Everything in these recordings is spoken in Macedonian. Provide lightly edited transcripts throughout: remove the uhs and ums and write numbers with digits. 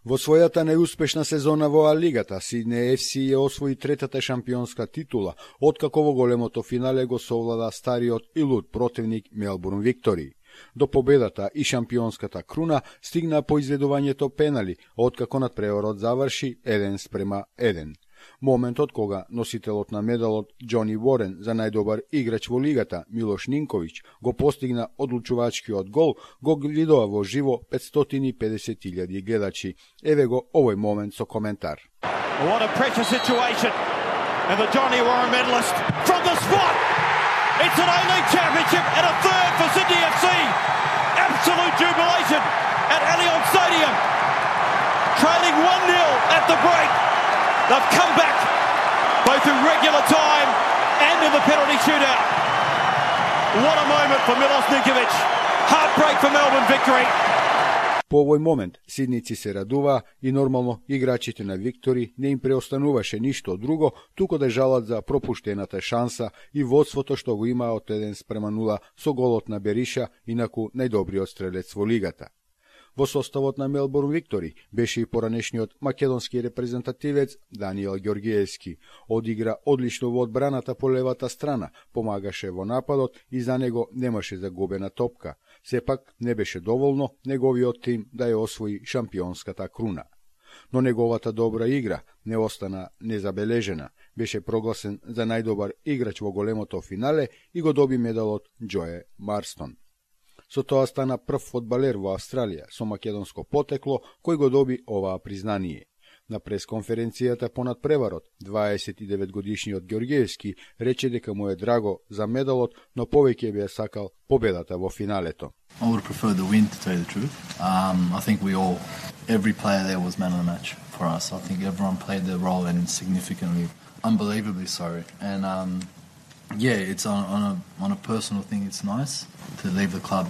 Во својата најуспешна сезона во А-лигата, Сиднеј ФС ја освои третата шампионска титула, откако во големото финале го совлада стариот и луд противник Мелбурн Виктори. До победата и шампионската круна стигна по изведувањето пенали, откако надпреварот заврши 1:1. Моментот кога носителот на медалот Џони Ворен за најдобар играч во лигата Милош Нинковиќ го постигна одлучувачкиот гол, го гледува во живо 550.000 гледачи. Еве го овој момент со коментар. What a pressure situation. And the Johnny Warren medalist from the spot. It's an A-League championship and a third for Sydney FC. Absolute jubilation at Allianz Stadium. Trailing 1-0 at the break. They've come back both in regular time and in the penalty shootout. What a moment for Milos Ninković. Heartbreak for Melbourne Victory. По овој момент сидници се радува и нормално играчите на Виктори не им преостануваше ништо друго, туку да жалат за пропуштената шанса и водството што го имаа од 1:0 со голот на Бериша, инаку најдобриот стрелец во лигата. Во составот на Мелбурн Виктори беше и поранешниот македонски репрезентативец Даниел Ѓоргиевски. Одигра одлично во одбраната по левата страна, помагаше во нападот и за него немаше загубена топка. Сепак не беше доволно неговиот тим да ја освои шампионската круна. Но неговата добра игра не остана незабележена. Беше прогласен за најдобар играч во големото финале и го доби медалот Џое Марстон. Со тоа стана прв фудбалер во Австралија со македонско потекло кој го доби оваа признание. На пресконференцијата по надпреварот, 29-годишниот Ѓоргиевски рече дека му е драго за медалот, но повеќе би ја сакал победата во финалето. I would prefer the win, to tell you the truth. I think every player there was man of the match for us. I think everyone played their role and significantly, unbelievably so. And yeah, it's on a personal thing. It's nice to leave the club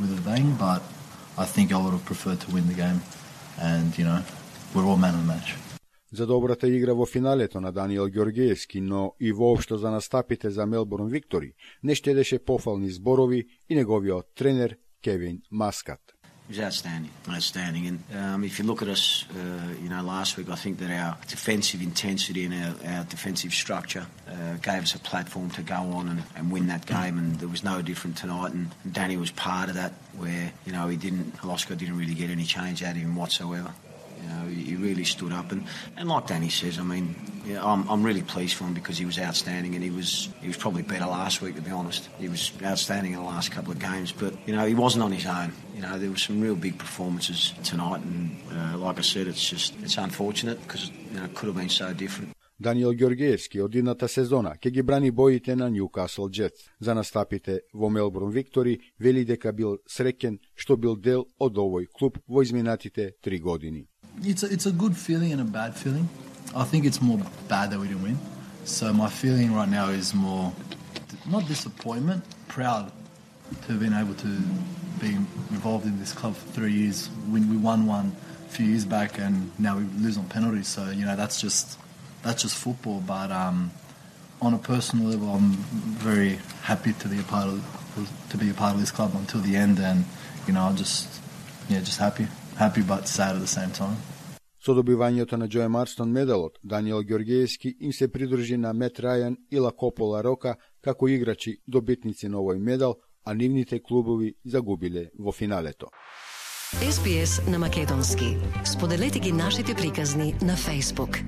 with a bang, but I think I would have preferred to win the game. And we're all man of the match. За добрата игра во финалето на Даниел Ѓоргиевски, но и воопшто за настапите за Мелбурн Виктори, не штедеше пофални зборови и неговиот тренер Кевин Маскат. It was outstanding. And if you look at us, last week, I think that our defensive intensity and our defensive structure gave us a platform to go on and win that game. And there was no different tonight. And Danny was part of that, where Holosko didn't really get any change out of him whatsoever. He really stood up, and like Danny says, I'm really pleased for him because he was outstanding, and he was probably better last week, to be honest. He was outstanding in the last couple of games, but he wasn't on his own. There were some real big performances tonight, and like I said, it's unfortunate because it could have been so different. Даниел Ѓоргиевски од идната сезона ќе ги брани боите на Ньюкасл Джетс. За настапите во Мелбурн Виктори вели дека бил среќен што бил дел од овој клуб во изминатите 3 години. It's a good feeling and a bad feeling. I think it's more bad that we didn't win. So my feeling right now is more, not disappointment, proud to have been able to be involved in this club for 3 years. We won one a few years back, and now we lose on penalties. So that's just football. But on a personal level, I'm very happy to be a part of this club until the end, and just happy but sad at the same time. Со добивањето на Џое Марстон медалот, Даниел Ѓоргиевски им се придружи на Мет Рајан и Лакопола Рока како играчи добитници на овој медал, а нивните клубови загубиле во финалето. SBS на македонски. Споделете ги нашите приказни на Facebook.